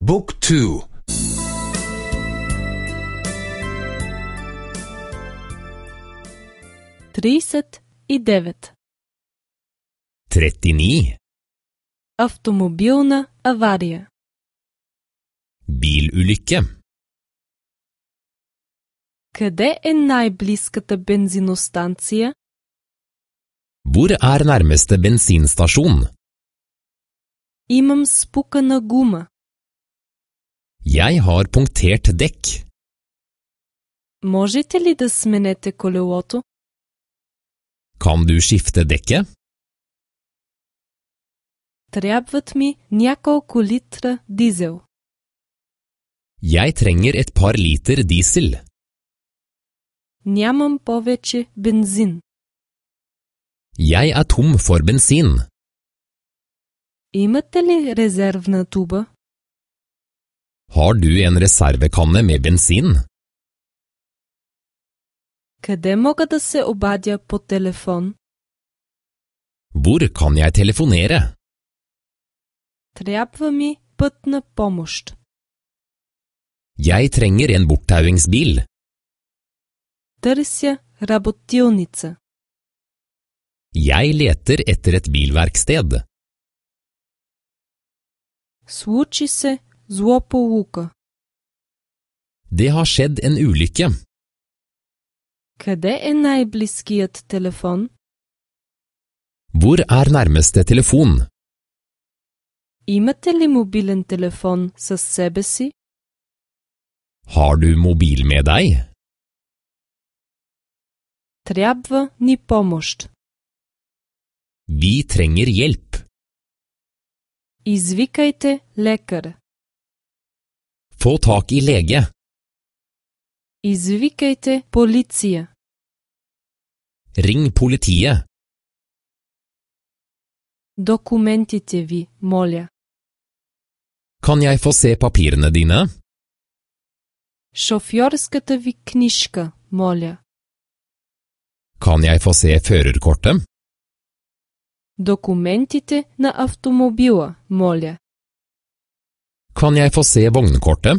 Book 2. 39. 39. Автомобилна авария. Bilulykke. Къде е най-близката бензиностанция? Hvor er nærmeste bensinstasjon? Имам спукана гума. Jeg har punktert dekk. Можете ли да сменете колелото? Kan du skifte dekket? Трябват ми няколко литра дизел. Jeg trenger et par liter diesel. Нямам повече бензин. Jeg er tom for bensin. Имате ли резервна туба? Har du en reservekanne med bensin? Къде мога да се обадя по телефон? Hvor kan jeg telefonere? Трябва ми пътна помощ. Jeg trenger en borttauingsbil. Търся работилница. Jeg leter etter et bilverksted. Случи се злополука. Det har skjedd en ulykke. Къде е най-близкият телефон? Hvor er nærmeste telefon? Имате ли мобилен телефон със себе си? Har du mobil med deg? Трябва ни помощ. Vi trenger hjelp. Извикайте лекар. Få tak i lege. Извикайте полиция. Ring politiet. Документите ви, моля. Kan jeg få se papirene dine? Шофьорската ви книжка, моля. Kan jeg få se førerkortet? Документите на автомобила, моля. Kan jeg få se vognkortet?